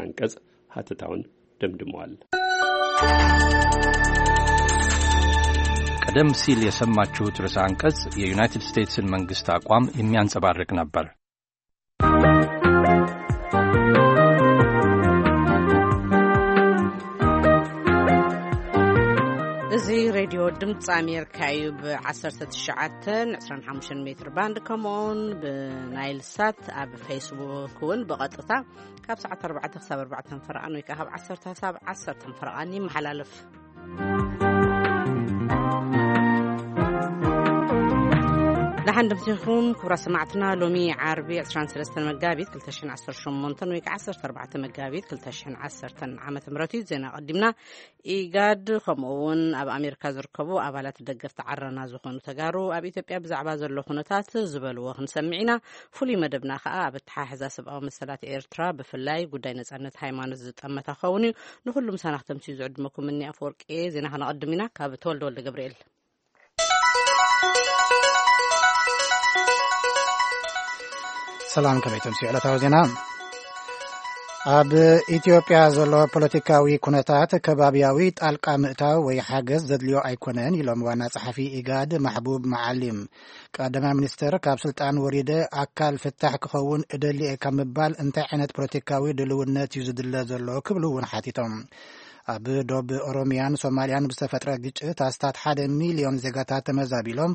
አንቀጽ ሐተታውን ደምድመዋል። ቀደም ሲል የሰማችሁት ርዕሰ አንቀጽ የዩናይትድ ስቴትስን መንግስት አቋም የሚያንጸባርቅ ነበር። እዚ ሬድዮ ድምፂ ኣሜሪካ እዩ። ብ19፣ 25 ሜትር ባንድ፣ ከምኡውን ብናይል ሳት፣ ኣብ ፌስቡክ እውን ብቐጥታ ካብ ሰዓት ኣርባዕተ ክሳብ ኣርባዕተ ፈረቓን ወይ ከዓ ካብ ዓሰርተ ክሳብ ዓሰርተ ፈረቓን ይመሓላለፍ። ደሓን ድምሲኹም ክቡራት ሰማዕትና። ሎሚ ዓርቢ ዕስራን ሰለስተን መጋቢት ክልተ ሽሕን ዓሰርተ ሸሞንተን ወይ ከዓ ዓሰርተ ኣርባዕተ መጋቢት ክልተ ሽሕን ዓሰርተን ዓመተ ምህረት እዩ። ዜና ቀዲምና። ኢጋድ ከምኡ እውን ኣብ ኣሜሪካ ዝርከቡ ኣባላት ደገፍቲ ዓረና ዝኾኑ ተጋሩ ኣብ ኢትዮጵያ ብዛዕባ ዘሎ ኩነታት ዝበልዎ ክንሰምዕ ኢና። ፍሉይ መደብና ከዓ ኣብ ኣተሓሕዛ ሰብኣዊ መሰላት ኤርትራ፣ ብፍላይ ጉዳይ ነጻነት ሃይማኖት ዝጠመተ ክኸውን እዩ። ንኹሉ ምሳና ክተምስዩ ዝዕድመኩም እኒ ኣፈወርቂ። ዜና ከነቐድም ኢና። ካብ ተወልደ ወልደ ገብርኤል። ሰላም፣ ከመይ ተምስዩ ዕለታዊ ዜና? ኣብ ኢትዮጵያ ዘሎ ፖለቲካዊ ኩነታት ከባቢያዊ ጣልቃ ምእታው ወይ ሓገዝ ዘድልዮ ኣይኮነን ኢሎም ዋና ጸሓፊ ኢጋድ ማሕቡብ መዓሊም። ቀዳማይ ሚኒስትር ካብ ስልጣን ወሪደ ኣካል ፍታሕ ክኸውን እደሊ እየ ካብ ምባል እንታይ ዓይነት ፖለቲካዊ ድልውነት እዩ ዝድለ ዘሎ ክብሉ እውን ሓቲቶም። ኣብ ዶብ ኦሮሚያን ሶማሊያን ብዝተፈጥረ ግጭት ኣስታት ሓደ ሚልዮን ዜጋታት ተመዛቢሎም፣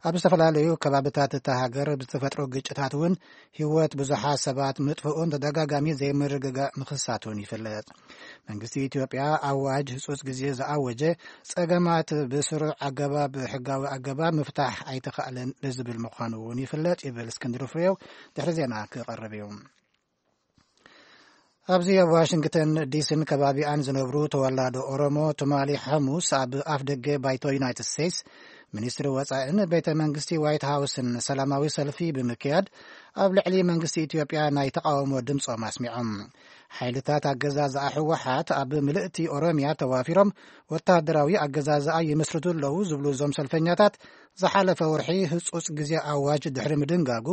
ኣብ ዝተፈላለዩ ከባብታት እታ ሃገር ብዝተፈጥሩ ግጭታት እውን ህይወት ብዙሓት ሰባት ምጥፍኡን ተደጋጋሚ ዘይምርግጋእ ምኽሳቱን ይፍለጥ። መንግስቲ ኢትዮጵያ ኣዋጅ ህጹጽ ግዜ ዝኣወጀ ጸገማት ብስሩዕ ኣገባብ፣ ሕጋዊ ኣገባብ ምፍታሕ ኣይተኻእለን ብዝብል ምዃኑ እውን ይፍለጥ ይብል እስክንድር ፍሬው ድሕሪ ዜና ክቐርብ እዩ። ኣብዚ ኣብ ዋሽንግተን ዲሲን ከባቢኣን ዝነብሩ ተወላዶ ኦሮሞ ትማሊ ሓሙስ ኣብ ኣፍ ደገ ባይቶ ዩናይትድ ስቴትስ ሚኒስትሪ ወጻእን ቤተ መንግስቲ ዋይት ሃውስን ሰላማዊ ሰልፊ ብምክያድ ኣብ ልዕሊ መንግስቲ ኢትዮጵያ ናይ ተቃውሞ ድምጾም ኣስሚዖም። ሓይልታት ኣገዛዝኣ ህወሓት ኣብ ምልእቲ ኦሮሚያ ተዋፊሮም ወታደራዊ ኣገዛዝኣ ይመስርቱ ኣለዉ ዝብሉ እዞም ሰልፈኛታት ዝሓለፈ ወርሒ ህጹጽ ግዜ ኣዋጅ ድሕሪ ምድንጋጉ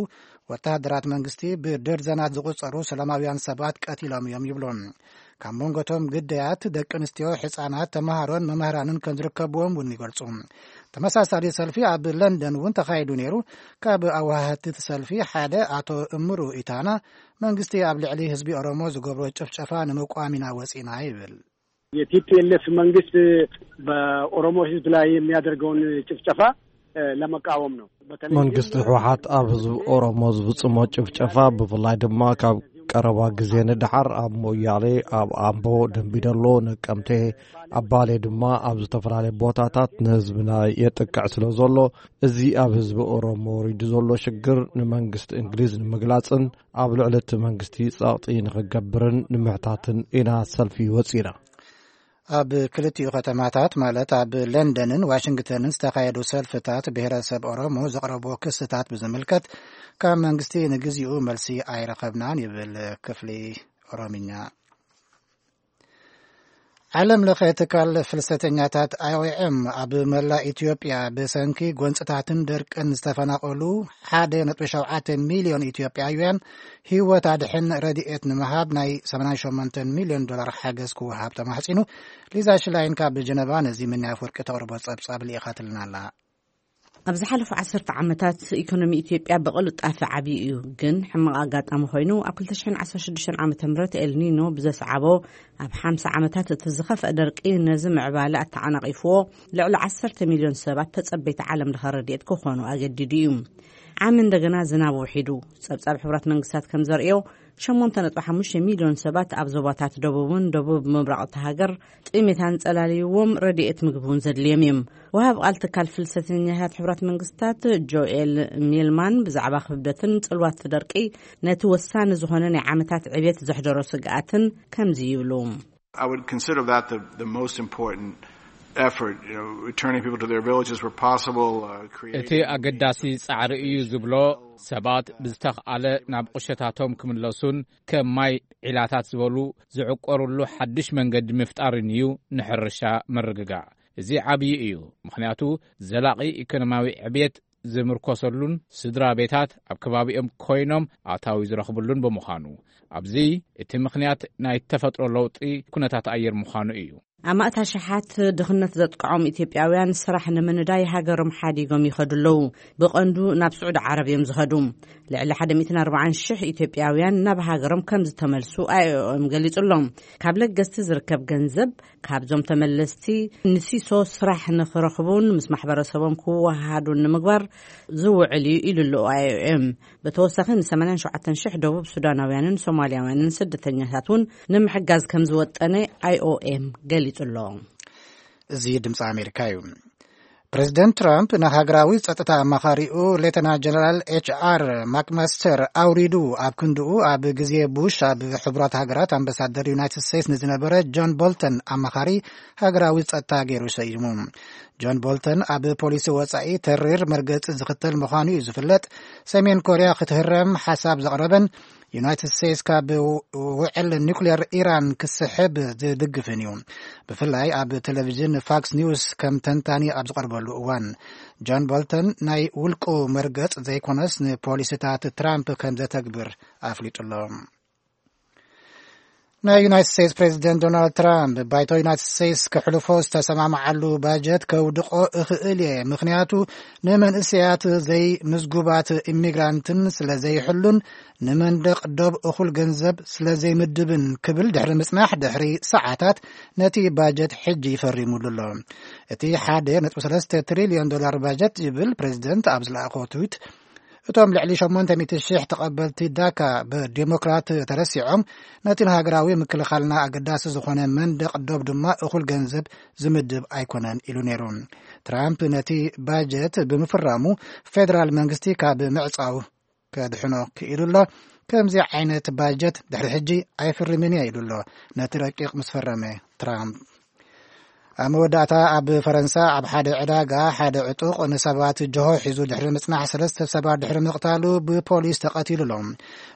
ወታደራት መንግስቲ ብደርዘናት ዝቑጸሩ ሰላማውያን ሰባት ቀቲሎም እዮም ይብሉ። ካብ መንጎቶም ግዳያት፣ ደቂ ኣንስትዮ፣ ሕጻናት፣ ተመሃሮን መምህራንን ከም ዝርከብዎም እውን ይገልጹ። ተመሳሳሊ ሰልፊ ኣብ ለንደን እውን ተኻይዱ ነይሩ። ካብ ኣዋሃድቲ እቲ ሰልፊ ሓደ ኣቶ እምሩ ኢታና፣ መንግስቲ ኣብ ልዕሊ ህዝቢ ኦሮሞ ዝገብሮ ጭፍጨፋ ንምቋም ኢና ወጺና ይብል። የቲ ፒ ኤል ኤፍ መንግስት በኦሮሞ ህዝብ ላይ የሚያደርገውን ጭፍጨፋ ለመቃወም ነው። በተለይ መንግስቲ ህወሓት ኣብ ህዝቢ ኦሮሞ ዝፍጽሞ ጭፍጨፋ፣ ብፍላይ ድማ ካብ ቀረባ ግዜ ንደሓር ኣብ ሞያሌ፣ ኣብ ኣምቦ፣ ደምቢዶሎ፣ ነቀምቴ፣ ኣብ ባሌ ድማ ኣብ ዝተፈላለዩ ቦታታት ንህዝብና የጥቅዕ ስለ ዘሎ፣ እዚ ኣብ ህዝቢ ኦሮሞ ወሪዱ ዘሎ ሽግር ንመንግስቲ እንግሊዝ ንምግላጽን ኣብ ልዕሊ እቲ መንግስቲ ጸቕጢ ንኽገብርን ንምሕታትን ኢና ሰልፊ ወጺና። ኣብ ክልቲኡ ከተማታት፣ ማለት ኣብ ለንደንን ዋሽንግተንን ዝተኻየዱ ሰልፍታት፣ ብሔረሰብ ኦሮሞ ዘቕረቦ ክስታት ብዝምልከት ካብ መንግስቲ ንግዚኡ መልሲ ኣይረኸብናን ይብል ክፍሊ ኦሮምኛ። ዓለም ለኸ ትካል ፍልሰተኛታት ኣይ ኦ ኤም ኣብ መላእ ኢትዮጵያ ብሰንኪ ጎንፅታትን ደርቅን ዝተፈናቐሉ ሓደ ነጥቢ ሸውዓተ ሚልዮን ኢትዮጵያውያን ህይወት ኣድሕን ረድኤት ንምሃብ ናይ ሰማንያ ሸሞንተ ሚልዮን ዶላር ሓገዝ ክወሃብ ተማሕፂኑ። ሊዛ ሽላይን ካብ ጀነቫ ነዚ ምንያ ኣፈወርቂ ተቕርቦ ጸብጻብ ልኢኻትልና ኣላ። ኣብ ዝሓለፉ ዓሰርተ ዓመታት ኢኮኖሚ ኢትዮጵያ ብቕልጣፈ ዓብዩ እዩ፣ ግን ሕማቕ ኣጋጣሚ ኮይኑ ኣብ ክልተ ሽሕን ዓሰርተ ሽዱሽተን ዓመተ ምህረት ኤልኒኖ ብዘስዓቦ ኣብ ሓምሳ ዓመታት እቲ ዝኸፍአ ደርቂ ነዚ ምዕባለ ኣተዓናቒፍዎ፣ ልዕሊ ዓሰርተ ሚልዮን ሰባት ተጸበይቲ ዓለም ለኸ ረድኤት ክኾኑ ኣገዲዱ እዩ። ዓሚ እንደገና ዝናብ ውሒዱ። ጸብጻብ ሕቡራት መንግስታት ከም ዘርእዮ፣ ሸሞንተ ነጥቢ ሓሙሽተ ሚልዮን ሰባት ኣብ ዞባታት ደቡብን ደቡብ ምብራቕ እታ ሃገር ጥሜት ኣንጸላልይዎም ረድኤት ምግቢ እውን ዘድልዮም እዮም። ወሃብ ቃል ትካል ፍልሰተኛታት ሕቡራት መንግስታት ጆኤል ሚልማን ብዛዕባ ክብደትን ጽልዋት ደርቂ ነቲ ወሳኒ ዝኾነ ናይ ዓመታት ዕብየት ዘሕደሮ ስግኣትን ከምዚ ይብሉ። I would consider that the, the most important effort, you know, returning people to their villages where possible, uh, እቲ creating ኣገዳሲ ጻዕሪ እዩ ዝብሎ፣ ሰባት ብዝተኽኣለ ናብ ቁሸታቶም ክምለሱን ከም ማይ ዒላታት ዝበሉ ዝዕቆርሉ ሓድሽ መንገዲ ምፍጣርን እዩ ንሕርሻ ምርግጋእ። እዚ ዓብዪ እዩ፣ ምኽንያቱ ዘላቒ ኢኮኖሚያዊ ዕብየት ዝምርኮሰሉን ስድራ ቤታት ኣብ ከባቢኦም ኮይኖም ኣታዊ ዝረኽብሉን ብምዃኑ፣ ኣብዚ እቲ ምኽንያት ናይ ተፈጥሮ ለውጢ ኩነታት ኣየር ምዃኑ እዩ። ኣማእት ኣሽሓት ድኽነት ዘጥቅዖም ኢትዮጵያውያን ስራሕ ንምንዳይ ሃገሮም ሓዲጎም ይኸዱ ኣለዉ። ብቐንዱ ናብ ስዑዲ ዓረብ እዮም ዝኸዱ። ልዕሊ ሓደ ሚእትን ኣርባዓን ሽሕ ኢትዮጵያውያን ናብ ሃገሮም ከም ዝተመልሱ ኣይ ኦ ኤም ገሊጹ ኣሎ። ካብ ለገስቲ ዝርከብ ገንዘብ ካብዞም ተመለስቲ ንሲሶ ስራሕ ንኽረኽቡን ምስ ማሕበረሰቦም ክወሃሃዱን ንምግባር ዝውዕል እዩ ኢሉ ኣሎ ኣይ ኦ ኤም። ብተወሳኺ ን ሰማንያን ሸውዓተን ሽሕ ደቡብ ሱዳናውያንን ሶማልያውያንን ስደተኛታት እውን ንምሕጋዝ ከም ዝወጠነ ኣይ ኦ ኤም ገሊጹ ኣሎ። እዚ ድምፂ ኣሜሪካ እዩ። ፕሬዚደንት ትራምፕ ንሃገራዊ ጸጥታ ኣማኻሪኡ ሌተና ጀነራል ኤች ኣር ማክማስተር ኣውሪዱ ኣብ ክንድኡ ኣብ ግዜ ቡሽ ኣብ ሕቡራት ሃገራት ኣምባሳደር ዩናይትድ ስቴትስ ንዝነበረ ጆን ቦልተን ኣማኻሪ ሃገራዊ ጸጥታ ገይሩ ሰይሙ። ጆን ቦልተን ኣብ ፖሊሲ ወጻኢ ተሪር መርገጺ ዝኽተል ምዃኑ እዩ ዝፍለጥ። ሰሜን ኮርያ ክትህረም ሓሳብ ዘቕረበን ዩናይትድ ስቴትስ ካብ ውዕል ኒውክሌር ኢራን ክስሕብ ዝድግፍን እዩ። ብፍላይ ኣብ ቴሌቪዥን ፋክስ ኒውስ ከም ተንታኒ ኣብ ዝቐርበሉ እዋን፣ ጆን ቦልተን ናይ ውልቁ መርገጽ ዘይኮነስ ንፖሊሲታት ትራምፕ ከም ዘተግብር ኣፍሊጡ ኣሎ። ናይ ዩናይትድ ስቴትስ ፕሬዚደንት ዶናልድ ትራምፕ፣ ባይቶ ዩናይትድ ስቴትስ ክሕልፎ ዝተሰማምዓሉ ባጀት ከውድቆ እኽእል እየ፣ ምኽንያቱ ንመንእሰያት ዘይምዝጉባት ኢሚግራንትን ስለ ዘይሕሉን ንመንደቕ ዶብ እኹል ገንዘብ ስለ ዘይምድብን ክብል ድሕሪ ምጽናሕ፣ ድሕሪ ሰዓታት ነቲ ባጀት ሕጂ ፈሪሙሉ ኣሎ። እቲ ሓደ ነጥቢ ሰለስተ ትሪልዮን ዶላር ባጀት ይብል ፕሬዚደንት ኣብ ዝለኣኾ ትዊት፣ እቶም ልዕሊ ሸሞንተ ሚእቲ ሽሕ ተቐበልቲ ዳካ ብዴሞክራት ተረሲዖም፣ ነቲ ንሃገራዊ ምክልኻልና ኣገዳሲ ዝኾነ መንደቕ ዶብ ድማ እኹል ገንዘብ ዝምድብ ኣይኮነን ኢሉ ነይሩ። ትራምፕ ነቲ ባጀት ብምፍራሙ ፌደራል መንግስቲ ካብ ምዕጻው ከድሕኖ ክኢሉ ኣሎ። ከምዚ ዓይነት ባጀት ድሕሪ ሕጂ ኣይፍርምን እየ ኢሉ ኣሎ፣ ነቲ ረቂቕ ምስ ፈረመ ትራምፕ። ኣብ መወዳእታ ኣብ ፈረንሳ ኣብ ሓደ ዕዳጋ ሓደ ዕጡቕ ንሰባት ጅሆ ሒዙ ድሕሪ ምጽናሕ ሰለስተ ሰባት ድሕሪ ምቕታሉ ብፖሊስ ተቐቲሉ ኣሎ።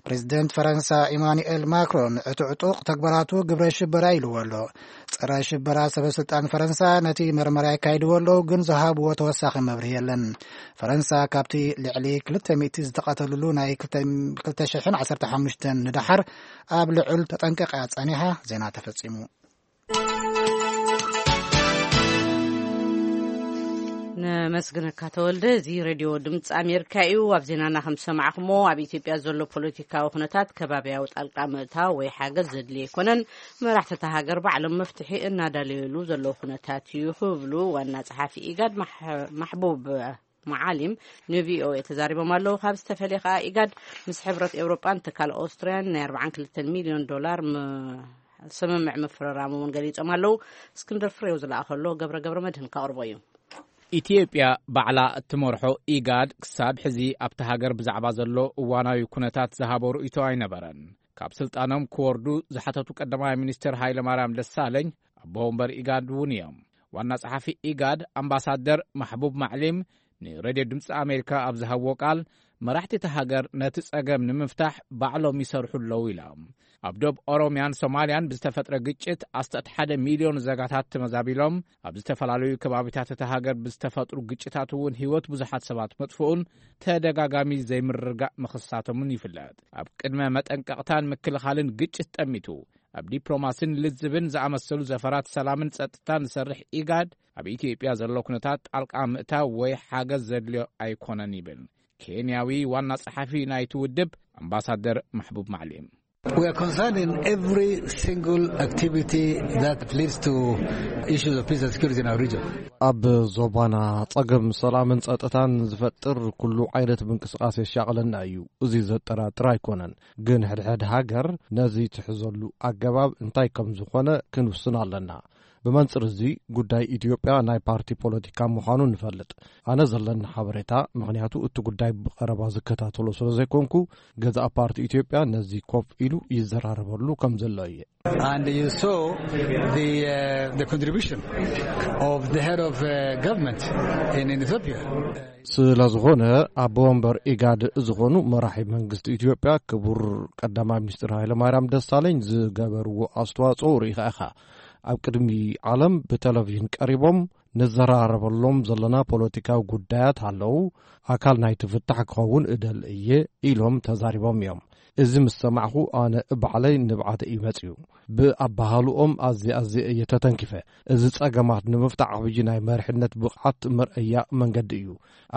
ፕሬዚደንት ፈረንሳ ኢማኑኤል ማክሮን እቲ ዕጡቕ ተግባራቱ ግብረ ሽበራ ኢልዎ ኣሎ። ጸረ ሽበራ ሰበ ስልጣን ፈረንሳ ነቲ መርመራ የካይድዎ ኣለዉ፣ ግን ዝሃብዎ ተወሳኺ መብርሂ የለን። ፈረንሳ ካብቲ ልዕሊ ክልተ ሚእቲ ዝተቐተሉሉ ናይ ክልተ ሽሕን ዓሰርተ ሓሙሽተን ንደሓር ኣብ ልዑል ተጠንቀቕ እያ ጸኒሓ። ዜና ተፈጺሙ። ነመስግነካ ተወልደ። እዚ ሬድዮ ድምፂ ኣሜሪካ እዩ። ኣብ ዜናና ከም ዝሰማዕኩሞ፣ ኣብ ኢትዮጵያ ዘሎ ፖለቲካዊ ኩነታት ከባቢያዊ ጣልቃ ምእታው ወይ ሓገዝ ዘድልዮ ኣይኮነን፣ መራሕቲ እታ ሃገር ባዕሎም መፍትሒ እናዳለየሉ ዘለዉ ኩነታት እዩ ክብሉ ዋና ጸሓፊ ኢጋድ ማሕ- ማሕቡብ መዓሊም ን ቪ ኦ ኤ ተዛሪቦም ኣለዉ። ካብ ዝተፈለየ ከኣ ኢጋድ ምስ ሕብረት ኤውሮጳን ትካል ኦስትርያን ናይ ኣርባዓን ክልተን ሚልዮን ዶላር ም- ስምምዕ ምፍርራም እውን ገሊጾም ኣለዉ። እስክንድር ፍሬው ዝለኣኸሎ ገብረ ገብረ መድህን ከቕርቦ እዩ። ኢትዮጵያ ባዕላ እትመርሖ ኢጋድ ክሳብ ሕዚ ኣብቲ ሃገር ብዛዕባ ዘሎ እዋናዊ ኩነታት ዝሃቦ ርእይቶ ኣይነበረን። ካብ ስልጣኖም ክወርዱ ዝሓተቱ ቀዳማይ ሚኒስትር ሃይለማርያም ደሳለኝ ኣቦ ወንበር ኢጋድ እውን እዮም። ዋና ጸሓፊ ኢጋድ ኣምባሳደር ማሕቡብ ማዕሊም ንሬድዮ ድምፂ ኣሜሪካ ኣብ ዝሃብዎ ቃል፣ መራሕቲ እቲ ሃገር ነቲ ጸገም ንምፍታሕ ባዕሎም ይሰርሑ ኣለዉ ኢሎም። ኣብ ዶብ ኦሮምያን ሶማልያን ብዝተፈጥረ ግጭት ኣስታት ሓደ ሚልዮን ዜጋታት ተመዛቢሎም፣ ኣብ ዝተፈላለዩ ከባቢታት እታ ሃገር ብዝተፈጥሩ ግጭታት እውን ህይወት ብዙሓት ሰባት መጥፍኡን ተደጋጋሚ ዘይምርግጋእ ምኽሳቶምን ይፍለጥ። ኣብ ቅድመ መጠንቀቕታን ምክልኻልን ግጭት ጠሚቱ፣ ኣብ ዲፕሎማሲን ልዝብን ዝኣመሰሉ ዘፈራት ሰላምን ጸጥታን ዝሰርሕ ኢጋድ፣ ኣብ ኢትዮጵያ ዘሎ ኩነታት ጣልቃ ምእታው ወይ ሓገዝ ዘድልዮ ኣይኮነን ይብል ኬንያዊ ዋና ጸሓፊ ናይቲ ውድብ ኣምባሳደር ማሕቡብ ማዕሊም። We are concerned in every single activity that leads to issues of peace and security in our region. ኣብ ዞባና ጸገም ሰላምን ጸጥታን ዝፈጥር ኩሉ ዓይነት ምንቅስቃስ የሻቕለና እዩ። እዚ ዘጠራጥር ኣይኮነን። ግን ሕድሕድ ሃገር ነዚ ትሕዘሉ ኣገባብ እንታይ ከም ዝኾነ ክንውስን ኣለና። ብመንጽር እዚ ጉዳይ ኢትዮጵያ ናይ ፓርቲ ፖለቲካ ምዃኑ ንፈልጥ። ኣነ ዘለኒ ሓበሬታ፣ ምኽንያቱ እቲ ጉዳይ ብቐረባ ዝከታተሎ ስለ ዘይኮንኩ፣ ገዛእ ፓርቲ ኢትዮጵያ ነዚ ኮፍ ኢሉ ይዘራረበሉ ከም ዘሎ እየ። And you saw the, uh, the contribution of the head of, uh, government in, in Ethiopia. ስለ ዝኾነ ኣቦ ወንበር ኢጋድ ዝኾኑ መራሒ መንግስቲ ኢትዮጵያ ክቡር ቀዳማይ ሚኒስትር ሃይለማርያም ደሳለኝ ዝገበርዎ ኣስተዋጽኦ ርኢኻ ኢኻ። ኣብ ቅድሚ ዓለም ብቴሌቪዥን ቀሪቦም ንዘራረበሎም ዘለና ፖለቲካዊ ጉዳያት ኣለዉ፣ ኣካል ናይቲ ፍታሕ ክኸውን እደሊ እየ ኢሎም ተዛሪቦም እዮም። እዚ ምስ ሰማዕኹ ኣነ ባዕለይ ንብዓት እዩ መጽዩ። ብኣባሃልኦም ኣዝየ ኣዝየ እየ ተተንኪፈ። እዚ ጸገማት ንምፍታሕ ዓብዪ ናይ መሪሕነት ብቕዓት መርኣያ መንገዲ እዩ።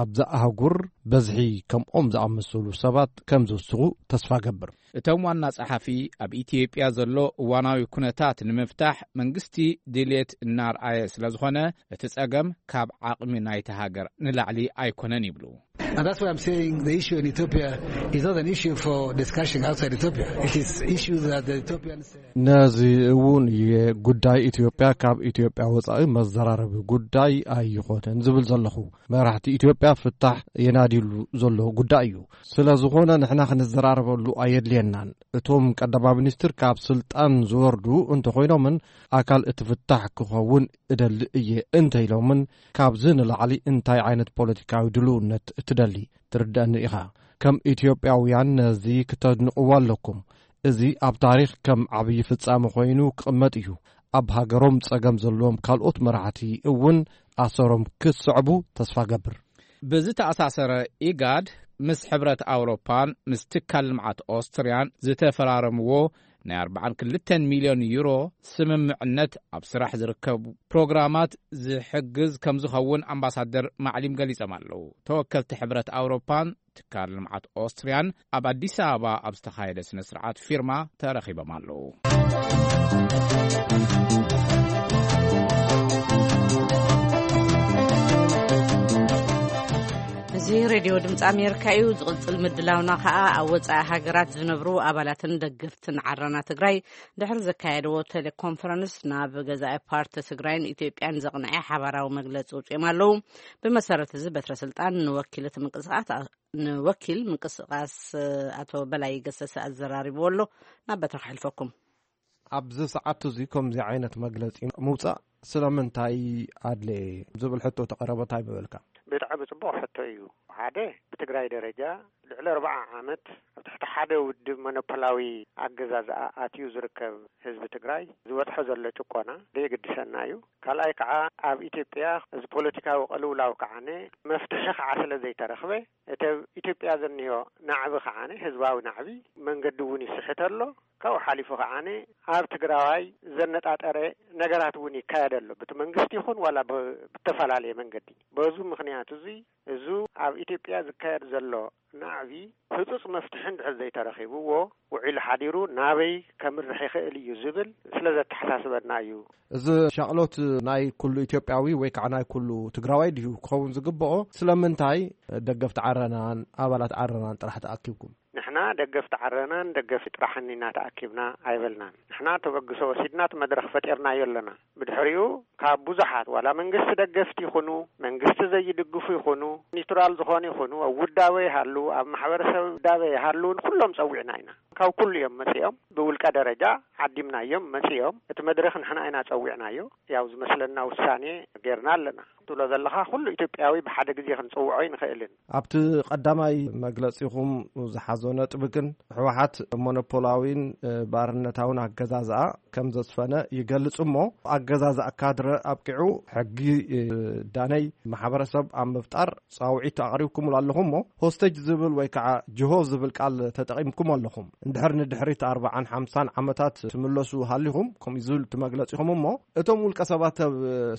ኣብዛ ኣህጉር በዝሒ ከምኦም ዝኣመሰሉ ሰባት ከም ዝውስኹ ተስፋ ገብር። እቶም ዋና ጸሓፊ ኣብ ኢትዮጵያ ዘሎ እዋናዊ ኩነታት ንምፍታሕ መንግስቲ ድልየት እናርኣየ ስለ ዝኾነ እቲ ጸገም ካብ ዓቕሚ ናይቲ ሃገር ንላዕሊ ኣይኮነን ይብሉ። And that's why I'm saying the issue in Ethiopia is not an issue for discussion outside Ethiopia. It is issues that the Ethiopians ነዚ እውን እየ ጉዳይ ኢትዮጵያ ካብ ኢትዮጵያ ወጻኢ መዘራረቢ ጉዳይ ኣይኾነን ዝብል ዘለኹ። መራሕቲ ኢትዮጵያ ፍታሕ የናድዩሉ ዘሎ ጉዳይ እዩ። ስለ ዝኾነ ንሕና ክንዘራረበሉ ኣየድልየናን። እቶም ቀዳማይ ሚኒስትር ካብ ስልጣን ዝወርዱ እንተኾይኖምን ኣካል እቲ ፍታሕ ክኸውን እደሊ እየ እንተኢሎምን ካብዚ ንላዕሊ እንታይ ዓይነት ፖለቲካዊ ድልውነት ትደሊ? ትርዳእኒ ኢኻ። ከም ኢትዮጵያውያን ነዚ ክተድንቕዎ ኣለኩም። እዚ ኣብ ታሪኽ ከም ዓብዪ ፍጻመ ኮይኑ ክቕመጥ እዩ። ኣብ ሃገሮም ጸገም ዘለዎም ካልኦት መራሕቲ እውን ኣሰሮም ክትስዕቡ ተስፋ ገብር። ብዝተኣሳሰረ ኢጋድ ምስ ሕብረት ኣውሮፓን ምስ ትካል ልምዓት ኦስትርያን ዝተፈራረምዎ ናይ ኣርባዓን ክልተን ሚልዮን ዩሮ ስምምዕነት ኣብ ስራሕ ዝርከቡ ፕሮግራማት ዝሕግዝ ከም ዝኸውን ኣምባሳደር ማዕሊም ገሊጾም ኣለዉ። ተወከልቲ ሕብረት ኣውሮፓን ትካል ልምዓት ኦስትርያን ኣብ ኣዲስ ኣበባ ኣብ ዝተኻየደ ስነ ስርዓት ፊርማ ተረኺቦም ኣለዉ። እዚ ሬድዮ ድምፂ ኣሜሪካ እዩ። ዝቕፅል ምድላውና ከዓ ኣብ ወፃኢ ሃገራት ዝነብሩ ኣባላትን ደገፍትን ዓረና ትግራይ ድሕሪ ዘካየድዎ ቴሌኮንፈረንስ ናብ ገዛኢ ፓርቲ ትግራይን ኢትዮጵያን ዘቕንዐ ሓባራዊ መግለፂ ውፅኦም ኣለዉ። ብመሰረት እዚ በትረ ስልጣን ንወኪል እቲ ምንቅስቃስ ንወኪል ምንቅስቃስ ኣቶ በላይ ገሰሰ ኣዘራሪብዎ ኣሎ። ናብ በትረ ክሕልፈኩም። ኣብዚ ሰዓት እዚ ከምዚ ዓይነት መግለፂ ምውፃእ ስለምንታይ ኣድለየ ዝብል ሕቶ ተቐረበ እንታይ ምበልካ? ብጣዕሚ ጽቡቕ ሕቶ እዩ። ሓደ፣ ብትግራይ ደረጃ ልዕሊ ኣርባዓ ዓመት ኣብ ትሕቲ ሓደ ውድብ ሞኖፖላዊ ኣገዛዝኣ ኣትዩ ዝርከብ ህዝቢ ትግራይ ዝበጽሖ ዘሎ ጭቆና ዘየግድሰና እዩ። ካልኣይ ከዓ ኣብ ኢትዮጵያ እዚ ፖለቲካዊ ቅልውላው ከዓነ መፍትሒ ከዓ ስለ ዘይተረኽበ እቲ ኣብ ኢትዮጵያ ዘኒሆ ናዕቢ ከዓነ ህዝባዊ ናዕቢ መንገዲ እውን ይስሕት ኣሎ። ካብኡ ሓሊፉ ከዓኒ ኣብ ትግራዋይ ዘነጣጠረ ነገራት እውን ይካየድ ኣሎ። ብቲ መንግስቲ ይኹን ዋላ ብ-፣ ብተፈላለየ መንገዲ። በዙ ምኽንያት እዚ፣ እዙ ኣብ ኢትዮጵያ ዝካየድ ዘሎ ናዕቢ ህጹጽ መፍትሒ እንድሕር ዘይተረኺብዎ፣ ውዒሉ ሓዲሩ ናበይ ከምርሕ ይኽእል እዩ ዝብል ስለ ዘተሓሳስበና እዩ። እዚ ሻቕሎት ናይ ኩሉ ኢትዮጵያዊ ወይ ከዓ ናይ ኩሉ ትግራዋይ ድዩ ክኸውን ዝግብኦ? ስለምንታይ ደገፍቲ ዓረናን ኣባላት ዓረናን ጥራሕ ተኣኪብኩም? ንሕና ደገፍቲ ዓረናን ደገፍቲ ጥራሕን ኢና ተኣኪብና ኣይበልናን። ንሕና ተበግሶ ወሲድና እቲ መድረኽ ፈጢርናዮ ኣለና። ብድሕሪኡ ካብ ብዙሓት ዋላ መንግስቲ ደገፍቲ ይኹኑ፣ መንግስቲ ዘይድግፉ ይኹኑ፣ ኒውትራል ዝኾኑ ይኹኑ፣ ኣብ ውዳበ ይሃሉ፣ ኣብ ማሕበረሰብ ውዳበ ይሃሉ፣ ንኩሎም ጸዊዕና ኢና። ካብ ኩሉ እዮም መጺኦም። ብውልቀ ደረጃ ዓዲምናዮም መጺኦም። እቲ መድረኽ ንሕና ኢና ጸዊዕናዮ። ያው ዝመስለና ውሳኔ ጌርና ኣለና። ትብሎ ዘለኻ ኩሉ ኢትዮጵያዊ ብሓደ ግዜ ክንጽውዖ ኣይንኽእልን። ኣብቲ ቀዳማይ መግለጺኹም ዝሓዞ ነጥቢ ግን ህወሓት ሞኖፖላዊን፣ እ፣ ባርነታውን ኣገዛዝኣ ከም ዘስፈነ ይገልጽ እሞ፣ ኣገዛዝኣ ካድረ ኣብቂዑ ሕጊ፣ እ፣ ዳነይ ማሕበረሰብ ኣብ ምፍጣር ጻውዒት ኣቕሪብኩምሉ ኣለኹም እሞ፣ ሆስቴጅ ዝብል ወይ ከዓ ጅሆ ዝብል ቃል ተጠቒምኩም ኣለኹም። እንድሕር ንድሕሪት ኣርባዓን ሓምሳን ዓመታት ትምለሱ ሃሊኹም፣ ከምኡ ዝብል እቲ መግለጺኹም እሞ፣ እቶም ውልቀ ሰባት ኣብ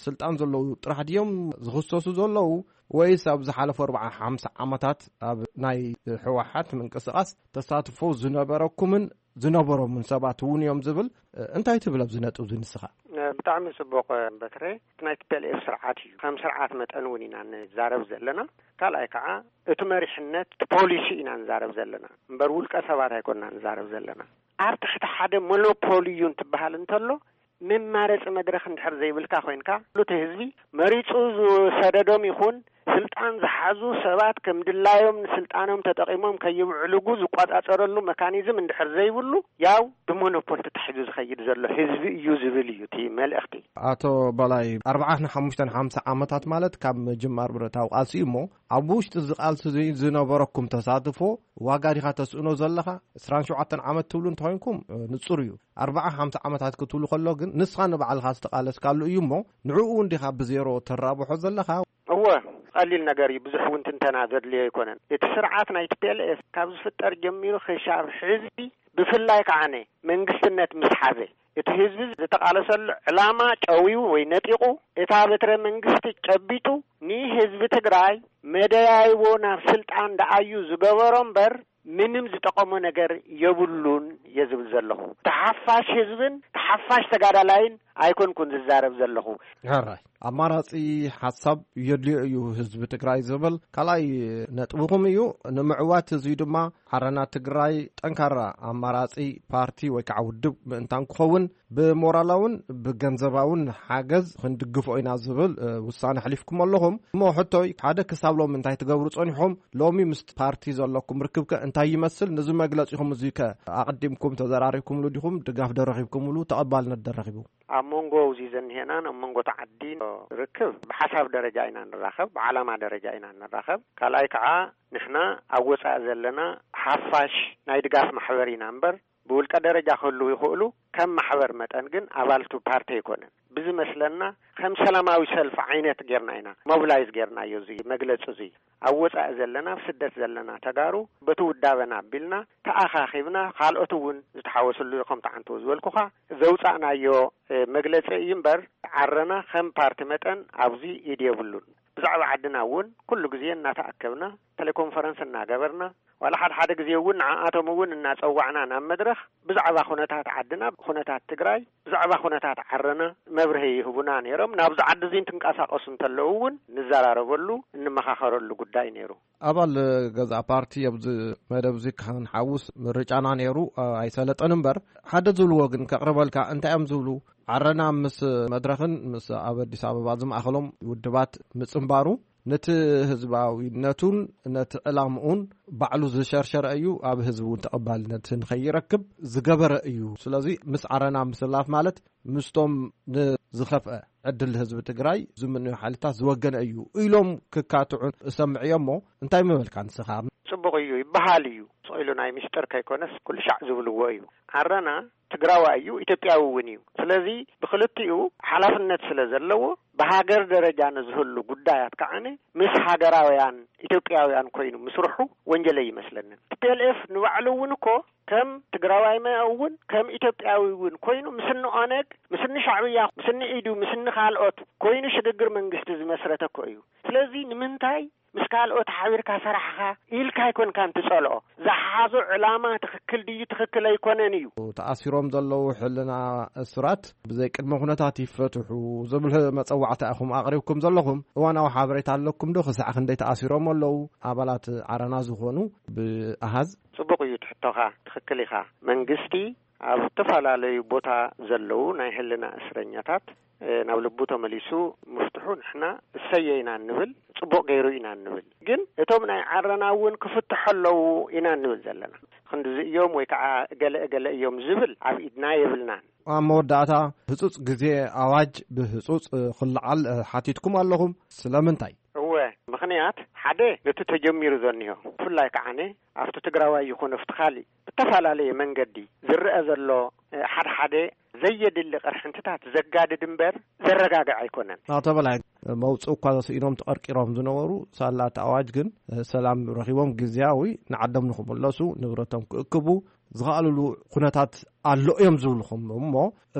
ስልጣን ዘለዉ ጥራሕ ድዮም ዝኽሰሱ ዘለዉ? ወይስ ኣብ ዝሓለፉ ኣርባዓ ሓምሳ ዓመታት ኣብ ናይ ህወሓት ምንቅስቓስ ተሳትፎ ዝነበረኩምን ዝነበሮምን ሰባት እውን እዮም ዝብል፣ እንታይ ትብል ኣብዚ ነጥቢ እዚ ንስኻ? ብጣዕሚ ጽቡቕ በትረ። እቲ ናይ ቲ ፒ ኤል ኤፍ ስርዓት እዩ። ከም ስርዓት መጠን እውን ኢና ንዛረብ ዘለና። ካልኣይ ከዓ እቲ መሪሕነት፣ እቲ ፖሊሲ ኢና ንዛረብ ዘለና። እምበር ውልቀ ሰባት ኣይኮንና ንዛረብ ዘለና። ኣብ ትሕቲ ሓደ ሞኖፖሊ እዩ እንትበሃል እንተሎ፣ መማረጺ መድረኽ እንድሕር ዘይብልካ ኮይንካ፣ እቲ ህዝቢ መሪጹ ዝሰደዶም ይኹን ስልጣን ዝሓዙ ሰባት ከም ድላዮም ንስልጣኖም ተጠቒሞም ከይብዕልጉ ዝቆጻጸረሉ መካኒዝም እንድሕር ዘይብሉ፣ ያው ብሞኖፖል ተታሒዙ ዝኸይድ ዘሎ ህዝቢ እዩ ዝብል እዩ እቲ መልእኽቲ። ኣቶ በላይ፣ ኣርባዓን ሓሙሽተን ሓምሳ ዓመታት ማለት ካብ ምጅማር ብረታዊ ቃልሲ እዩ እሞ፣ ኣብ ውሽጢ እዚ ቃልሲ እዚ ዝነበረኩም ተሳትፎ ዋጋ ዲኻ ተስእኖ ዘለኻ? ዕስራን ሸውዓተን ዓመት ትብሉ እንተኾይንኩም፣ እ፣ ንጹር እዩ። ኣርባዓ ሓምሳ ዓመታት ክትብሉ ከሎ ግን፣ ንስኻ ንባዕልኻ ዝተቓለስካሉ እዩ እሞ፣ ንዕኡ እውን ዲኻ ብዜሮ ተራብሖ ዘለኻ? እወ፣ ቀሊል ነገር እዩ። ብዙሕ እውን ትንተና ዘድልዮ ኣይኮነን። እቲ ስርዓት ናይ ቲ ፒ ኤል ኤፍ ካብ ዝፍጠር ጀሚሩ ክሻብ ሕዚ፣ ብፍላይ ከዓነ መንግስትነት ምስ ሓዘ፣ እቲ ህዝቢ ዝተቓለሰሉ ዕላማ ጨዊዩ ወይ ነጢቑ፣ እታ በትረ መንግስቲ ጨቢጡ፣ ንህዝቢ ትግራይ መደያይቦ ናብ ስልጣን ደኣዩ ዝገበሮ እምበር፣ ምንም ዝጠቐሞ ነገር የብሉን እየ ዝብል ዘለኹ። ተሓፋሽ ህዝብን ተሓፋሽ ተጋዳላይን ኣይኮንኩን ዝዛረብ ዘለኹ። ሕራይ፣ ኣማራጺ ሓሳብ የድልዮ እዩ ህዝቢ ትግራይ ዝብል ካልኣይ ነጥብኹም እዩ። ንምዕዋት እዚ ድማ ዓረና ትግራይ ጠንካራ ኣማራጺ ፓርቲ ወይ ከዓ ውድብ ምእንታን ክኸውን፣ ብሞራላውን ብገንዘባውን ሓገዝ ክንድግፎ ኢና ዝብል፣ እ፣ ውሳነ ኣሕሊፍኩም ኣለኹም። እሞ ሕቶይ፣ ሓደ ክሳብ ሎሚ እንታይ ትገብሩ ጸኒሖም? ሎሚ ምስ ፓርቲ ዘለኩም ርክብከ እንታይ ይመስል? ነዚ መግለጺኹም እዙይ ከ ኣቐዲምኩም ተዘራሪብኩምሉ ዲኹም? ድጋፍ ዶ ረኺብኩምሉ? ተቐባልነት ዶ ረኺቡ? ኣብ መንጎ እዚ ዘኒሄናን ኣብ መንጎ እቲ ዓዲን ርክብ ብሓሳብ ደረጃ ኢና ንራኸብ፣ ብዓላማ ደረጃ ኢና ንራኸብ። ካልኣይ ከዓ ንሕና ኣብ ወፃኢ ዘለና ሓፋሽ ናይ ድጋፍ ማሕበር ኢና እምበር፣ ብውልቀ ደረጃ ክህልዉ ይኽእሉ፣ ከም ማሕበር መጠን ግን ኣባልቱ ፓርቲ ኣይኮነን። ብዝመስለና ከም ሰላማዊ ሰልፊ ዓይነት ጌርና ኢና ሞቢላይዝ ጌርናዮ እዚ መግለፂ እዚ። ኣብ ወፃኢ ዘለና፣ ኣብ ስደት ዘለና ተጋሩ በቲ ውዳበና ኣቢልና ተኣኻኺብና፣ ካልኦት እውን ዝተሓወስሉ ከምቲ ዓንተው ዝበልኩኻ ዘውፃእናዮ፣ እ፣ መግለፂ እዩ እምበር፣ ዓረና ከም ፓርቲ መጠን ኣብዚ ኢድ የብሉን። ብዛዕባ ዓድና እውን ኩሉ ግዜ እናተኣከብና፣ ቴሌኮንፈረንስ እናገበርና፣ ዋላ ሓደ ሓደ ግዜ እውን ንዓኣቶም እውን እናጸዋዕና ናብ መድረኽ ብዛዕባ ኩነታት ዓድና፣ ኩነታት ትግራይ፣ ብዛዕባ ኩነታት ዓረና መብርሂ ይህቡና ነይሮም። ናብዚ ዓዲ እዚ እንትንቀሳቐሱ እንተለዉ እውን ንዘራረበሉ፣ እንመኻኸረሉ ጉዳይ ነይሩ። ኣባል ገዛ ፓርቲ ኣብዚ መደብ እዚ ክንሓውስ ምርጫና ነይሩ፣ ኣይሰለጠን እምበር፣ ሓደ ዝብልዎ ግን ከቕርበልካ። እንታይ እዮም ዝብሉ? ዓረና ምስ መድረኽን ምስ ኣብ ኣዲስ ኣበባ ዝማእኸሎም ውድባት ምጽንባሩ ነቲ ህዝባዊነቱን ነቲ ዕላምኡን ባዕሉ ዝሸርሸረ እዩ፣ ኣብ ህዝቢ እውን ተቐባልነት ንኸይረክብ ዝገበረ እዩ። ስለዚ ምስ ዓረና ምስላፍ ማለት ምስቶም ንዝኸፍአ ዕድል ህዝቢ ትግራይ ዝምንዩ ሓይልታት ዝወገነ እዩ ኢሎም ክካትዑ እሰምዕ እየ። እሞ እንታይ ምበልካ ንስኻ? ጽቡቕ እዩ ይበሃል እዩ። ስቕ ኢሉ ናይ ምስጢር ከይኮነስ ኩሉ ሻዕ ዝብልዎ እዩ። ዓረና ትግራዋይ እዩ፣ ኢትዮጵያዊ እውን እዩ። ስለዚ ብክልቲኡ ሓላፍነት ስለ ዘለዎ ብሃገር ደረጃ ንዝህሉ ጉዳያት ከዓኒ ምስ ሃገራውያን ኢትዮጵያውያን ኮይኑ ምስርሑ ወንጀል ኣይመስለንን። ቲ ፒ ኤል ኤፍ ንባዕሉ እውን እኮ ከም ትግራዋይ እውን ከም ኢትዮጵያዊ እውን ኮይኑ ምስኒ ኦነግ፣ ምስኒ ሻዕብያ፣ ምስኒ ኢዱ፣ ምስኒ ካልኦት ኮይኑ ሽግግር መንግስቲ ዝመስረተ እኮ እዩ። ስለዚ ንምንታይ ምስ ካልኦት ሓቢርካ ሰራሕኻ ኢልካ ኣይኮንካን ትጸልኦ። ዝሓዞ ዕላማ ትኽክል ድዩ ትኽክል ኣይኮነን እዩ። ተኣሲሮም ዘለዉ ሕልና እሱራት ብዘይ ቅድመ ኩነታት ይፈትሑ ዝብል መጸዋዕታ ኢኹም ኣቕሪብኩም ዘለኹም። እዋናዊ ሓበሬታ ኣለኩም ዶ? ክሳዕ ክንደይ ተኣሲሮም ኣለዉ? ኣባላት ዓረና ዝኾኑ ብኣሃዝ? ጽቡቕ እዩ ትሕቶኻ፣ ትኽክል ኢኻ። መንግስቲ ኣብ ዝተፈላለዩ ቦታ ዘለዉ ናይ ሕልና እስረኛታት፣ እ፣ ናብ ልቡ ተመሊሱ ምፍትሑ ንሕና እሰየ ኢና እንብል፣ ጽቡቕ ገይሩ ኢና እንብል። ግን እቶም ናይ ዓረና እውን ክፍትሑ ኣለዉ ኢና እንብል ዘለና። ክንድዚ እዮም ወይ ከዓ እገለ እገለ እዮም ዝብል ኣብ ኢድና የብልናን። ኣብ መወዳእታ ህጹጽ ግዜ ኣዋጅ ብህጹጽ፣ እ፣ ክለዓል፣ እ፣ ሓቲትኩም ኣለኹም። ስለምንታይ? እወ፣ ምኽንያት ሓደ ነቲ ተጀሚሩ ዘኒሆ፣ ብፍላይ ከዓነ ኣብቲ ትግራዋይ ይኹን ኣብቲ ካሊእ ብተፈላለየ መንገዲ ዝረአ ዘሎ፣ እ፣ ሓደ ሓደ ዘየድሊ ቅርሕንትታት ዘጋድድ እምበር ዘረጋግዕ ኣይኮነን። ኣቶ በላይ፣ መውጽእ እኳ ተስኢኖም ተቐርቂሮም ዝነበሩ ሳላ እቲ ኣዋጅ ግን፣ እ፣ ሰላም ረኺቦም ግዝያዊ ንዓዶም ንኽምለሱ፣ ንብረቶም ክእክቡ ዝኸኣልሉ ኩነታት ኣሎ እዮም ዝብልኹም እሞ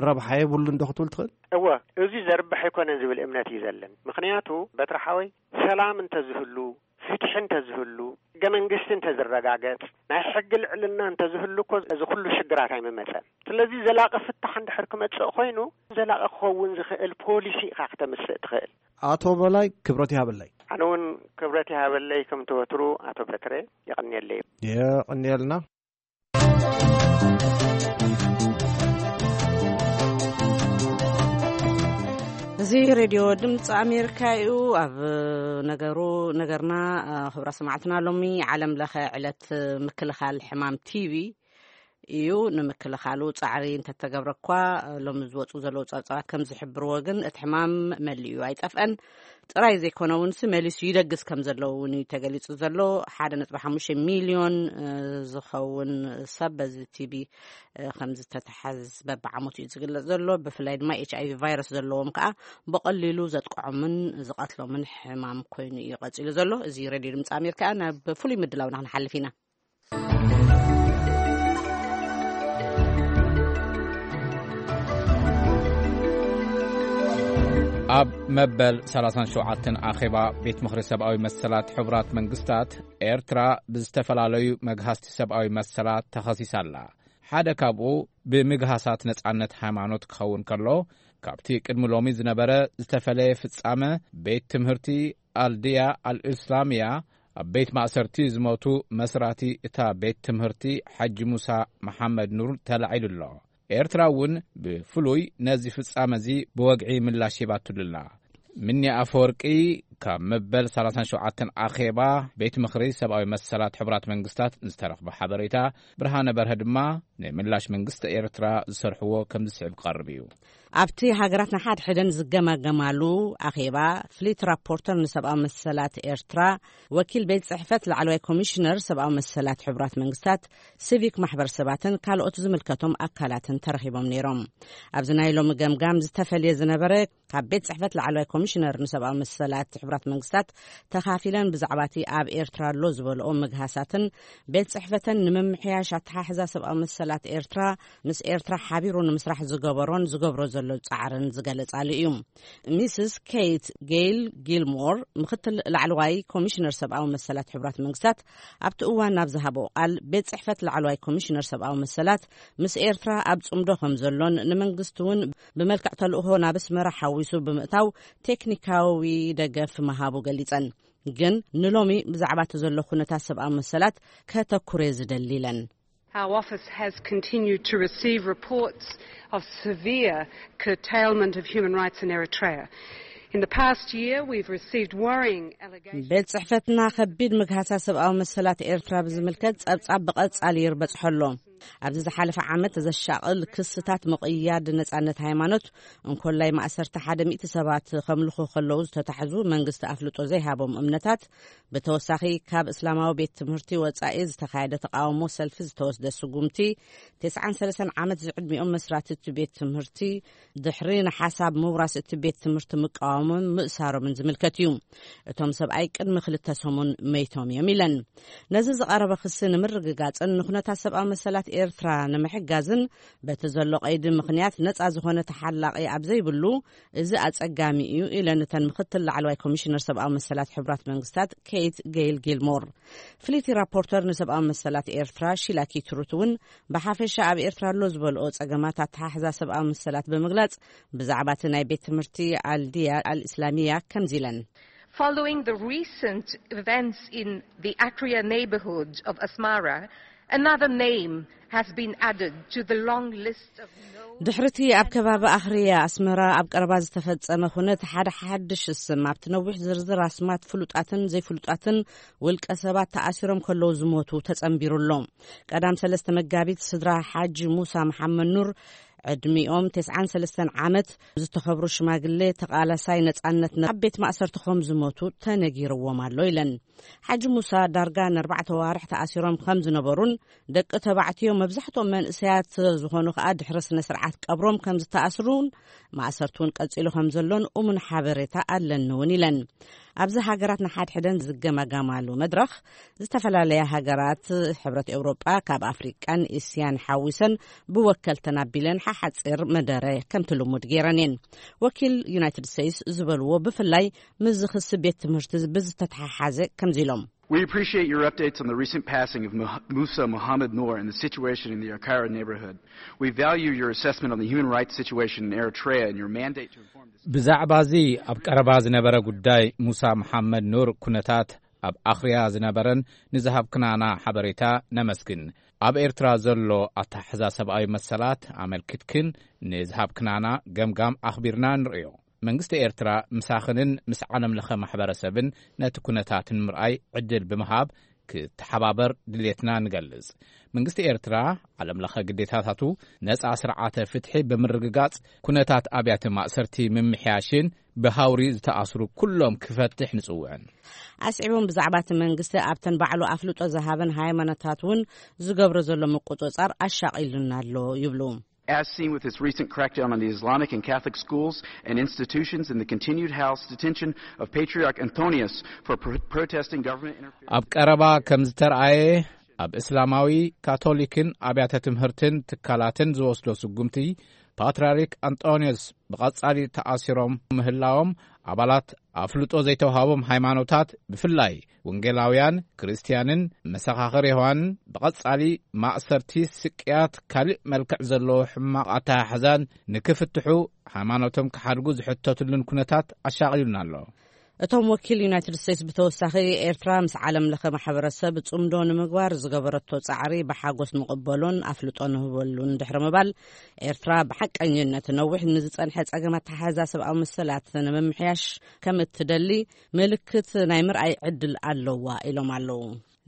ረብሓ የብሉን ዶ ክትብል ትኽእል? እወ፣ እዚ ዘርብሕ ኣይኮነን ዝብል እምነት እዩ ዘለን። ምኽንያቱ በትሪ ሓወይ ሰላም እንተዝህሉ፣ ፍትሒ እንተዝህሉ፣ ሕገ መንግስቲ እንተዝረጋገጽ፣ ናይ ሕጊ ልዕልና እንተዝህሉ እኮ እዚ ኩሉ ሽግራት ኣይምመጸን። ስለዚ ዘላቂ ፍታሕ እንድሕር ክመጽእ ኮይኑ ዘላቂ ክኸውን ዝኽእል ፖሊሲ ኢኻ ክተምስእ ትኽእል። ኣቶ በላይ ክብረት ይሃበለይ። ኣነ እውን ክብረት ይሃበለይ ከምቲ ወትሩ ኣቶ በትረ የቐንየለይ። የቐንየልና። እዚ ሬድዮ ድምፂ ኣሜሪካ እዩ። ኣብ ነገሩ ነገርና፣ እ፣ ክቡራት ሰማዕትና፣ ሎሚ ዓለም ለኸ ዕለት ምክልኻል ሕማም ቲቪ እዩ። ንምክልኻሉ ፃዕሪ እንተተገብረ እኳ፣ እ፣ ሎሚ ዝወፁ ዘለዉ ፀብፃባት ከም ዝሕብርዎ ግን እቲ ሕማም መሊኡ ኣይጠፍአን። ጥራይ ዘይኮነ እውን ሲ መሊሱ ይደግስ ከም ዘለዎ እውን እዩ ተገሊፁ ዘሎ። ሓደ ነጥቢ ሓሙሽተ ሚልዮን፣ እ፣ ዝኸውን ሰብ በዚ ቲቪ፣ እ፣ ከም ዝተተሓዝ በብዓመቱ እዩ ዝግለጽ ዘሎ። ብፍላይ ድማ ኤች ኣይ ቪ ቫይረስ ዘለዎም ከዓ ብቐሊሉ ዘጥቅዖምን ዝቐትሎምን ሕማም ኮይኑ እዩ ቀጺሉ ዘሎ። እዚ ሬድዮ ድምፂ ኣሜሪካ። ናብ ፍሉይ ምድላውና ክንሓልፍ ኢና። ኣብ መበል ሰላሳን ሸውዓተን ኣኼባ ቤት ምኽሪ ሰብኣዊ መሰላት ሕቡራት መንግስታት፣ ኤርትራ ብዝተፈላለዩ መግሃስቲ ሰብኣዊ መሰላት ተኸሲሳ ኣላ። ሓደ ካብኡ ብምግሃሳት ነጻነት ሃይማኖት ክኸውን ከሎ፣ ካብቲ ቅድሚ ሎሚ ዝነበረ ዝተፈለየ ፍጻመ፣ ቤት ትምህርቲ ኣልድያ ኣልእስላምያ ኣብ ቤት ማእሰርቲ ዝሞቱ መስራቲ እታ ቤት ትምህርቲ ሓጂ ሙሳ መሓመድ ኑር ተላዒሉ ኣሎ። ኤርትራ እውን ብፍሉይ ነዚ ፍጻመ እዚ ብወግዒ ምላሽ ሂባትሉ ኣላ። ምኒ ኣፈወርቂ ካብ መበል ሰላሳን ሸውዓተን ኣኼባ ቤት ምኽሪ ሰብኣዊ መሰላት ሕቡራት መንግስታት ዝተረኽበ ሓበሬታ፣ ብርሃነ በርሀ ድማ ንምላሽ መንግስቲ ኤርትራ ዝሰርሕዎ ከም ዝስዕብ ክቐርብ እዩ። ኣብቲ ሃገራት ንሓድሕደን ዝገማገማሉ ኣኼባ፣ ፍሊት ራፖርተር ንሰብኣዊ መሰላት ኤርትራ፣ ወኪል ቤት ጽሕፈት ላዕለዋይ ኮሚሽነር ሰብኣዊ መሰላት ሕቡራት መንግስታት፣ ሲቪክ ማሕበረሰባትን ካልኦት ዝምልከቶም ኣካላትን ተረኺቦም ነይሮም። ኣብዚ ናይ ሎሚ ገምጋም ዝተፈልየ ዝነበረ፣ ካብ ቤት ጽሕፈት ላዕለዋይ ኮሚሽነር ንሰብኣዊ መሰላት ሕቡራት መንግስታት ተኻፊለን ብዛዕባ እቲ ኣብ ኤርትራ ኣሎ ዝበልኦ ምግሃሳትን ቤት ጽሕፈተን ንምምሕያሽ ኣተሓሕዛ ሰብኣዊ መሰላት ኤርትራ ምስ ኤርትራ ሓቢሩ ንምስራሕ ዝገበሮን ዝገብሮ ዘሎ ጻዕርን ዝገለጻሉ እዩ። ሚስስ ኬት ጌይል ጊልሞር፣ ምክትል ላዕለዋይ ኮሚሽነር ሰብኣዊ መሰላት ሕቡራት መንግስታት፣ ኣብቲ እዋን ናብ ዝሃበኦ ቃል፣ ቤት ጽሕፈት ላዕለዋይ ኮሚሽነር ሰብኣዊ መሰላት ምስ ኤርትራ ኣብ ጽምዶ ከም ዘሎን ንመንግስቲ እውን ብመልክዕ ተልእኾ ናብ ኣስመራ ሓዊሱ ብምእታው ቴክኒካዊ ደገፍ ምሃቡ ገሊጸን። ግን ንሎሚ ብዛዕባ እቲ ዘሎ ኩነታት ሰብኣዊ መሰላት ከተኩረ ዝደሊ ኢለን። Our office has continued to receive reports of severe curtailment of human rights in Eritrea. In the past year, we've received worrying allegations. ቤት ጽሕፈትና ከቢድ ምግሃሳ ሰብኣዊ መሰላት ኤርትራ ብዝምልከት ጸብጻብ ብቐጻሊ ይርበጽሖ ኣሎ። ኣብዚ ዝሓለፈ ዓመት ዘሻቕል ክስታት ምቕያድ ነጻነት ሃይማኖት፣ እንኮላይ ማእሰርቲ ሓደ ሚእቲ ሰባት ከምልኹ ከለዉ ዝተታሕዙ መንግስቲ ኣፍልጦ ዘይሃቦም እምነታት፣ ብተወሳኺ ካብ እስላማዊ ቤት ትምህርቲ ወጻኢ ዝተኻየደ ተቃውሞ ሰልፊ ዝተወስደ ስጉምቲ፣ ተስዓን ሰለስተን ዓመት ዝዕድሚኦም መስራቲ እቲ ቤት ትምህርቲ ድሕሪ ንሓሳብ ምውራስ እቲ ቤት ትምህርቲ ምቃወሞም ምእሳሮምን ዝምልከት እዩ። እቶም ሰብኣይ ቅድሚ ክልተ ሰሙን መይቶም እዮም ኢለን። ነዚ ዝቐረበ ክሲ ንምርግጋጽን ንኩነታት ሰብኣዊ መሰላት ኤርትራ ንምሕጋዝን በቲ ዘሎ ቀይዲ ምኽንያት ነጻ ዝኾነ ተሓላቒ ኣብ ዘይብሉ፣ እዚ ኣጸጋሚ እዩ ኢለን እተን ምክትል ላዕለዋይ ኮሚሽነር ሰብኣዊ መሰላት ሕቡራት መንግስታት ኬት ጌይል ጊልሞር። ፍሊቲ ራፖርተር ንሰብኣዊ መሰላት ኤርትራ ሺላ ኪትሩት እውን ብሓፈሻ ኣብ ኤርትራ ኣሎ ዝበልኦ ጸገማት ኣተሓሕዛ ሰብኣዊ መሰላት ብምግላጽ፣ ብዛዕባ እቲ ናይ ቤት ትምህርቲ ኣልድያ ኣልእስላሚያ ከምዚ ኢለን። Following the recent events in the Akria neighborhood of Asmara, another name has been added to the long list of known ድሕርቲ ኣብ ከባቢ ኣኽርያ ኣስመራ ኣብ ቀረባ ዝተፈጸመ ኩነት ሓደ ሓድሽ ስም ኣብቲ ነዊሕ ዝርዝር ኣስማት ፍሉጣትን ዘይፍሉጣትን ውልቀ ሰባት ተኣሲሮም ከለዉ ዝሞቱ ተጸንቢሩ ኣሎ። ቀዳም ሰለስተ መጋቢት ስድራ ሓጂ ሙሳ መሓመድ ኑር ዕድሚኦም ተስዓን ሰለስተን ዓመት ዝተኸብሩ ሽማግሌ ተቓላሳይ ነጻነት ኣብ ቤት ማእሰርቲ ከም ዝሞቱ ተነጊርዎም ኣሎ ኢለን። ሓጂ ሙሳ ዳርጋ ንኣርባዕተ ዋርሕ ተኣሲሮም ከም ዝነበሩን ደቂ ተባዕትዮ መብዛሕትኦም መንእሰያት ዝኾኑ ከኣ ድሕሪ ስነ ስርዓት ቀብሮም ከም ዝተኣስሩን ማእሰርቱ እውን ቀጺሉ ከም ዘሎን እሙን ሓበሬታ ኣለኒ እውን ኢለን። ኣብዚ ሃገራት ንሓድሕደን ዝገማገማሉ መድረኽ፣ ዝተፈላለያ ሃገራት ሕብረት ኤውሮጳ ካብ ኣፍሪቃን እስያን ሓዊሰን ብወከልተን ኣቢለን ሓሓጺር መደረ ከምቲ ልሙድ ገይረን እየን። ወኪል ዩናይትድ ስቴትስ ዝበልዎ ብፍላይ ምስዚ ክሲ ቤት ትምህርቲ ብዝተተሓሓዘ ከምዚ ኢሎም። We appreciate your updates on the recent passing of Muh- Musa Muhammad Noor and the situation in the Akara neighborhood. We value your assessment on the human rights situation in Eritrea and your mandate to inform this ብዛዕባ እዚ ኣብ ቀረባ ዝነበረ ጉዳይ ሙሳ መሓመድ ኑር ኩነታት ኣብ ኣኽርያ ዝነበረን ንዝሃብክናና ሓበሬታ ነመስግን። ኣብ ኤርትራ ዘሎ ኣተሓሕዛ ሰብኣዊ መሰላት ኣመልኪትክን ንዝሃብክናና ገምጋም ኣኽቢርና ንርእዮ። መንግስቲ ኤርትራ ምሳኽንን ምስ ዓለም ለኸ ማሕበረሰብን ነቲ ኩነታት ንምርኣይ ዕድል ብምሃብ ክተሓባበር ድሌትና ንገልጽ። መንግስቲ ኤርትራ ዓለም ለኸ ግዴታታቱ ነጻ ስርዓተ ፍትሒ ብምርግጋጽ ኩነታት ኣብያተ ማእሰርቲ ምምሕያሽን ብሃውሪ ዝተኣስሩ ኩሎም ክፈትሕ ንጽውዕን። ኣስዒቦም ብዛዕባ እቲ መንግስቲ ኣብተን ባዕሉ ኣፍልጦ ዝሃበን ሃይማኖታት እውን ዝገብሮ ዘሎ ምቁጽጻር ኣሻቒሉና ኣሎ ይብሉ። As seen with its recent crackdown on the Islamic and Catholic schools and institutions and the continued house detention of Patriarch Anthonius for pro- protesting government interference. ኣብ ቀረባ ከም ዝተርኣየ ኣብ እስላማዊ ካቶሊክን ኣብያተ ትምህርትን ትካላትን ዝወስዶ ስጉምቲ ፓትርያርክ ኣንጦንዮስ ብቐጻሊ ተኣሲሮም ምህላዎም ኣባላት ኣፍልጦ ዘይተዋሃቦም ሃይማኖታት ብፍላይ ወንጌላውያን ክርስትያንን መሰኻኽር የሆዋን ብቐጻሊ ማእሰርቲ፣ ስቅያት፣ ካልእ መልክዕ ዘለዎ ሕማቕ ኣተሓሕዛን ንክፍትሑ ሃይማኖቶም ክሓድጉ ዝሕተትሉን ኩነታት ኣሻቒሉና ኣሎ። እቶም ወኪል ዩናይትድ ስቴትስ ብተወሳኺ ኤርትራ ምስ ዓለም ለኸ ማሕበረሰብ ጽምዶ ንምግባር ዝገበረቶ ጻዕሪ ብሓጎስ ንቕበሎን ኣፍልጦ ንህበሉን ድሕሪ ምባል ኤርትራ ብሓቀኝነት ነዊሕ ንዝጸንሐ ጸገም ኣተሓሕዛ ሰብኣዊ መሰላት ንምምሕያሽ ከም እትደሊ ምልክት ናይ ምርኣይ ዕድል ኣለዋ ኢሎም ኣለዉ።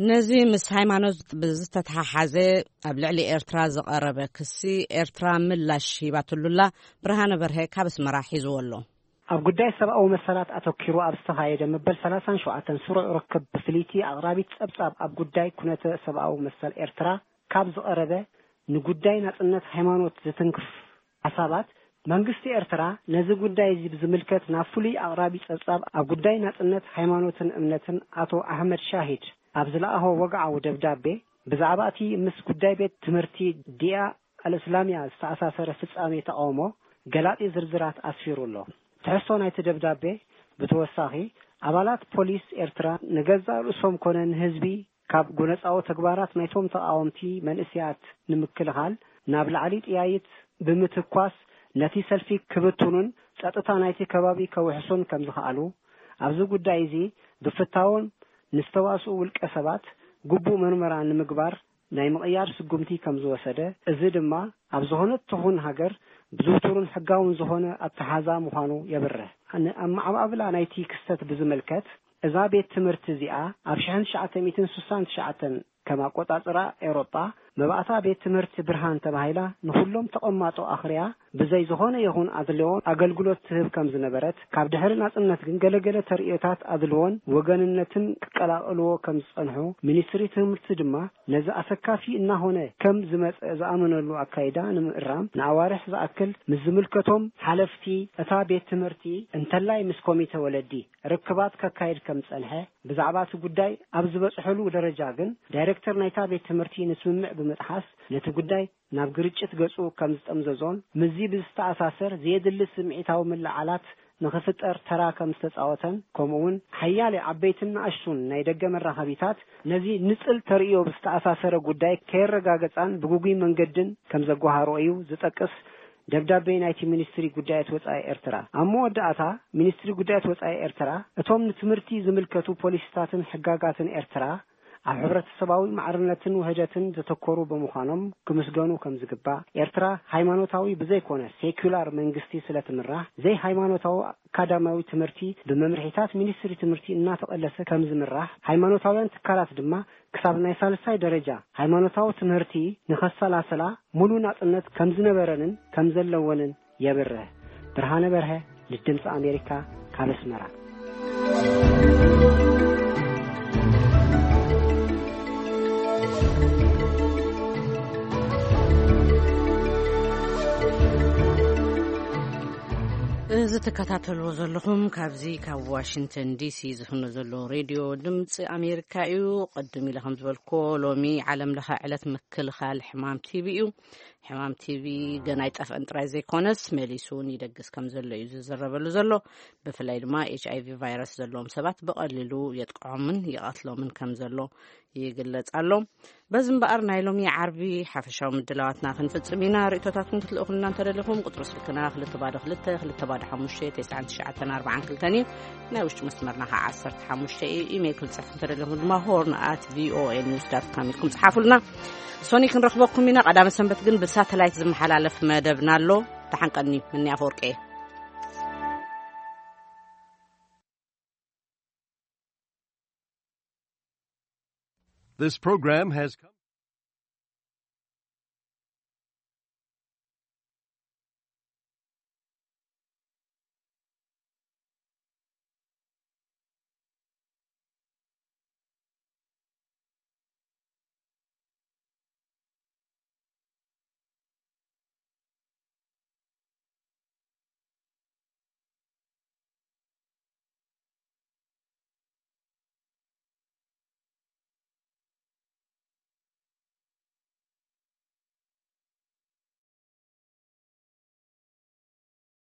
ነዚ ምስ ሃይማኖት ብዝተተሓሓዘ ኣብ ልዕሊ ኤርትራ ዝቐረበ ክሲ ኤርትራ ምላሽ ሂባትሉላ። ብርሃነ በርሀ ካብ ኣስመራ ሒዝዎ ኣሎ። ኣብ ጉዳይ ሰብኣዊ መሰላት ኣተኪሩ ኣብ ዝተኻየደ መበል ሰላሳን ሸውዓተን ስሩዕ ርክብ ብፍልይቲ ኣቕራቢት ጸብጻብ ኣብ ጉዳይ ኩነተ ሰብኣዊ መሰል ኤርትራ ካብ ዝቐረበ ንጉዳይ ናጽነት ሃይማኖት ዝትንክፍ ሓሳባት መንግስቲ ኤርትራ ነዚ ጉዳይ እዚ ብዝምልከት ናብ ፍሉይ ኣቕራቢ ጸብጻብ ኣብ ጉዳይ ናጽነት ሃይማኖትን እምነትን ኣቶ ኣሕመድ ሻሂድ ኣብ ዝለኣኾ ወግዓዊ ደብዳቤ ብዛዕባ እቲ ምስ ጉዳይ ቤት ትምህርቲ ዲያ ኣልእስላምያ ዝተኣሳሰረ ፍጻሜ ተቓውሞ ገላጺ ዝርዝራት ኣስፊሩ ኣሎ። ትሕዝቶ ናይቲ ደብዳቤ ብተወሳኺ ኣባላት ፖሊስ ኤርትራ ንገዛእ ርእሶም ኮነ ንህዝቢ ካብ ጎነጻዊ ተግባራት ናይቶም ተቓወምቲ መንእሰያት ንምክልኻል ናብ ላዕሊ ጥያይት ብምትኳስ ነቲ ሰልፊ ክብትኑን ጸጥታ ናይቲ ከባቢ ከውሕሱን ከም ዝኸኣሉ፣ ኣብዚ ጉዳይ እዚ ብፍታዎም ንዝተዋስኡ ውልቀ ሰባት ግቡእ መርመራ ንምግባር ናይ ምቕያር ስጉምቲ ከም ዝወሰደ፣ እዚ ድማ ኣብ ዝኾነት ትኹን ሃገር ብዝውቱርን ሕጋውን ዝኾነ ኣተሓዛ ምዃኑ የብርህ። ንኣመዓባብላ ናይቲ ክስተት ብዝምልከት፣ እዛ ቤት ትምህርቲ እዚኣ ኣብ ሽሕን ትሽዓተ ሚእትን ስሳን ትሽዓተን ከም ኣቆጻጽራ ኤውሮጳ መባእታ ቤት ትምህርቲ ብርሃን ተባሂላ ንኹሎም ተቐማጦ ኣኽርያ ብዘይ ዝኾነ ይኹን ኣድልዎ ኣገልግሎት ትህብ ከም ዝነበረት፣ ካብ ድሕሪ ናጽነት ግን ገለገለ ተርእዮታት ኣድልዎን ወገንነትን ክቀላቕልዎ ከም ዝጸንሑ፣ ሚኒስትሪ ትምህርቲ ድማ ነዚ ኣሰካፊ እናኾነ ከም ዝመጸ ዝኣመነሉ ኣካይዳ ንምእራም ንኣዋርሕ ዝኣክል ምስ ዝምልከቶም ሓለፍቲ እታ ቤት ትምህርቲ እንተላይ ምስ ኮሚተ ወለዲ ርክባት ከካይድ ከም ዝጸንሐ፣ ብዛዕባ እቲ ጉዳይ ኣብ ዝበጽሐሉ ደረጃ ግን ዳይሬክተር ናይታ ቤት ትምህርቲ ንስምምዕ ብምጥሓስ ነቲ ጉዳይ ናብ ግርጭት ገጹ ከም ዝጠምዘዞን ምስዚ ብዝተኣሳሰር ዘየድሊ ስምዒታዊ ምልዓላት ንኽፍጠር ተራ ከም ዝተጻወተን፣ ከምኡውን ሓያለ ዓበይትን ንኣሽቱን ናይ ደገ መራኸቢታት ነዚ ንጽል ተርእዮ ብዝተኣሳሰረ ጉዳይ ከየረጋገጻን ብግጉይ መንገድን ከም ዘጓሃሮ እዩ ዝጠቅስ ደብዳቤ ናይቲ ሚኒስትሪ ጉዳያት ወጻኢ ኤርትራ። ኣብ መወዳእታ፣ ሚኒስትሪ ጉዳያት ወጻኢ ኤርትራ፣ እቶም ንትምህርቲ ዝምልከቱ ፖሊሲታትን ሕጋጋትን ኤርትራ ኣብ ሕብረተሰባዊ ማዕርነትን ውህደትን ዘተኮሩ ብምዃኖም ክምስገኑ ከም ዝግባእ፣ ኤርትራ ሃይማኖታዊ ብዘይኮነ ሴኩላር መንግስቲ ስለ ትምራሕ፣ ዘይሃይማኖታዊ ኣካዳሚያዊ ትምህርቲ ብመምርሒታት ሚኒስትሪ ትምህርቲ እናተቐለሰ ከም ዝምራሕ፣ ሃይማኖታውያን ትካላት ድማ ክሳብ ናይ ሳልሳይ ደረጃ ሃይማኖታዊ ትምህርቲ ንኸሰላስላ ሙሉ ናጽነት ከም ዝነበረንን ከም ዘለወንን የብርህ። ብርሃነ በርሀ ንድምፂ ኣሜሪካ ካብ ኣስመራ። እዚ ትከታተልዎ ዘለኹም ካብዚ ካብ ዋሽንግተን ዲሲ ዝፍኖ ዘሎ ሬድዮ ድምፂ ኣሜሪካ እዩ። ቅድም ኢለ ከም ዝበልኮ ሎሚ ዓለም ለኸ ዕለት ምክልኻል ሕማም ቲቢ እዩ። ሕማም ቲቢ ገና ኣይጠፍአን ጥራይ ዘይኮነስ መሊሱ እውን ይደግስ ከም ዘሎ እዩ ዝዝረበሉ ዘሎ። ብፍላይ ድማ ኤች ኣይ ቪ ቫይረስ ዘለዎም ሰባት ብቐሊሉ የጥቅዖምን ይቐትሎምን ከም ዘሎ ይግለጽ ኣሎ። በዚ እምበኣር ናይ ሎሚ ዓርቢ ሓፈሻዊ ምድላዋትና ክንፍጽም ኢና። ርእቶታትኩም ክትልእኹልና እንተደሊኹም ቁጽሪ ስልክና ክልተ ባዶ ክልተ ክልተ ባዶ ሓሙሽተ ተስዓን ትሽዓተን ኣርባዓን ክልተን እዩ። ናይ ውሽጢ መስመርና ከዓ ዓሰርተ ሓሙሽተ እዩ። ኢሜይል ክትጽሕፉ እንተደሊኹም ድማ ሆርን ኣት ቪኦኤ ኒውስ ዳት ካም ኢልኩም ጽሓፉልና። ሶኒ ክንረኽበኩም ኢና። ቀዳመ ሰንበት ግን ብሳተላይት ዝመሓላለፍ መደብና ኣሎ። ተሓንቀኒ፣ ምኒ ኣፈወርቂ እየ። This program has come